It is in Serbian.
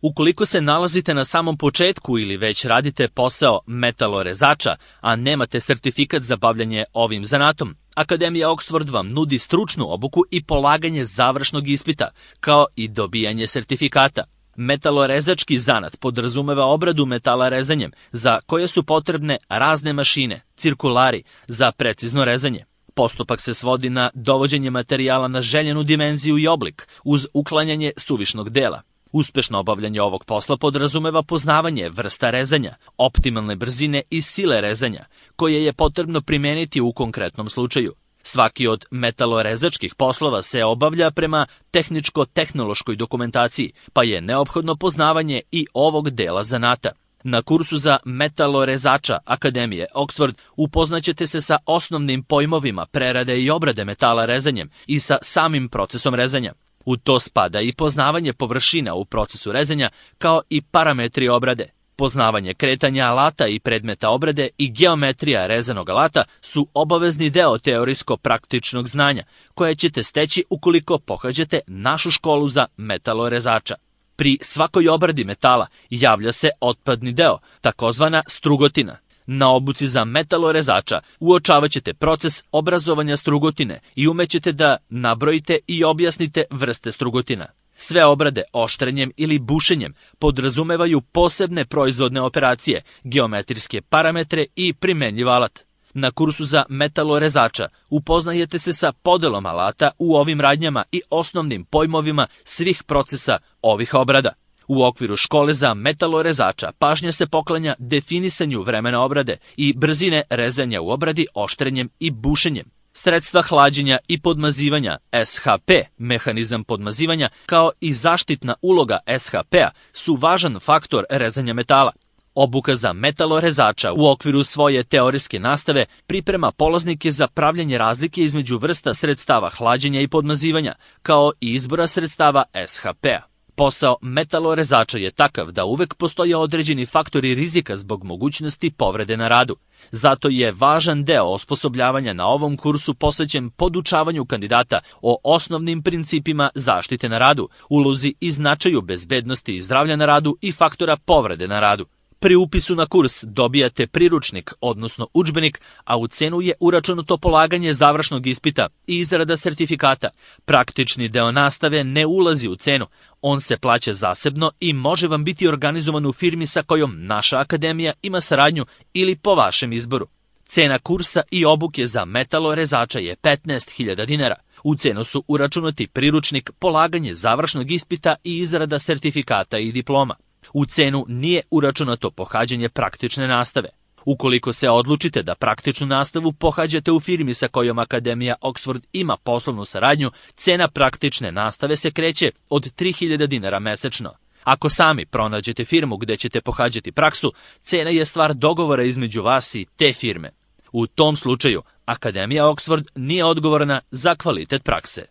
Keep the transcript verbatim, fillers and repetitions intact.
Ukoliko se nalazite na samom početku ili već radite posao metalorezača, a nemate sertifikat za bavljanje ovim zanatom, Akademija Oxford vam nudi stručnu obuku i polaganje završnog ispita, kao i dobijanje sertifikata. Metalorezački zanat podrazumeva obradu metala rezanjem, za koje su potrebne razne mašine, cirkulari, za precizno rezanje. Postupak se svodi na dovođenje materijala na željenu dimenziju i oblik, uz uklanjanje suvišnog dela. Uspešno obavljanje ovog posla podrazumeva poznavanje vrsta rezanja, optimalne brzine i sile rezanja, koje je potrebno primeniti u konkretnom slučaju. Svaki od metalorezačkih poslova se obavlja prema tehničko-tehnološkoj dokumentaciji, pa je neophodno poznavanje i ovog dela zanata. Na kursu za metalorezača Akademije Oxford upoznaćete se sa osnovnim pojmovima prerade i obrade metala rezanjem i sa samim procesom rezanja. U to spada i poznavanje površina u procesu rezanja, kao i parametri obrade. Poznavanje kretanja alata i predmeta obrade i geometrija rezanog alata su obavezni deo teorijsko-praktičnog znanja, koje ćete steći ukoliko pohađate našu školu za metalorezača. Pri svakoj obradi metala javlja se otpadni deo, takozvana strugotina. Na obuci za metalorezača uočavat ćete proces obrazovanja strugotine i umećete da nabrojite i objasnite vrste strugotina. Sve obrade oštrenjem ili bušenjem podrazumevaju posebne proizvodne operacije, geometrijske parametre i primenjiv alat. Na kursu za metalorezača upoznajete se sa podelom alata u ovim radnjama i osnovnim pojmovima svih procesa ovih obrada. U okviru škole za metalorezača pažnja se poklanja definisanju vremena obrade i brzine rezanja u obradi oštrenjem i bušenjem. Sredstva hlađenja i podmazivanja S H P, mehanizam podmazivanja, kao i zaštitna uloga S H P-a su važan faktor rezanja metala. Obuka za metalorezača u okviru svoje teorijske nastave priprema polaznike za pravljanje razlike između vrsta sredstava hlađenja i podmazivanja, kao i izbora sredstava S H P-a. Posao metalorezača je takav da uvek postoje određeni faktori rizika zbog mogućnosti povrede na radu. Zato je važan deo osposobljavanja na ovom kursu posvećen podučavanju kandidata o osnovnim principima zaštite na radu, ulozi i značaju bezbednosti i zdravlja na radu i faktora povrede na radu. Pri upisu na kurs dobijate priručnik, odnosno udžbenik, a u cenu je uračunato polaganje završnog ispita i izrada sertifikata. Praktični deo nastave ne ulazi u cenu, on se plaća zasebno i može vam biti organizovan u firmi sa kojom naša akademija ima saradnju ili po vašem izboru. Cena kursa i obuke za metalorezača je petnaest hiljada dinara. U cenu su uračunati priručnik, polaganje završnog ispita i izrada sertifikata i diploma. U cenu nije uračunato pohađanje praktične nastave. Ukoliko se odlučite da praktičnu nastavu pohađate u firmi sa kojom Akademija Oxford ima poslovnu saradnju, cena praktične nastave se kreće od tri hiljade dinara mesečno. Ako sami pronađete firmu gde ćete pohađati praksu, cena je stvar dogovora između vas i te firme. U tom slučaju, Akademija Oxford nije odgovorna za kvalitet prakse.